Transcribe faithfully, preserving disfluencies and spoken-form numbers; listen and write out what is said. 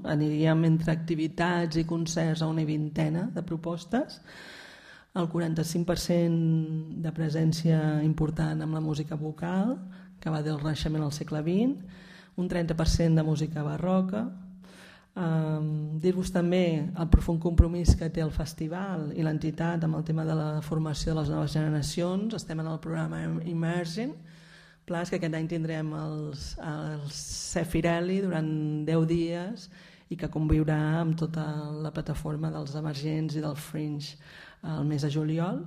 Aniríem entre activitats i concerts a una vintena de propostes, el quaranta-cinc per cent de presència important amb la música vocal, que va del Renaixement al segle vint, un trenta per cent de música barroca. Um, dir-vos també el profund compromís que té el festival i l'entitat amb el tema de la formació de les noves generacions. Estem en el programa Immerging, pla és que aquest any tindrem els, els Cefirelli durant deu dies i que conviurà amb tota la plataforma dels emergents i del Fringe el mes de juliol.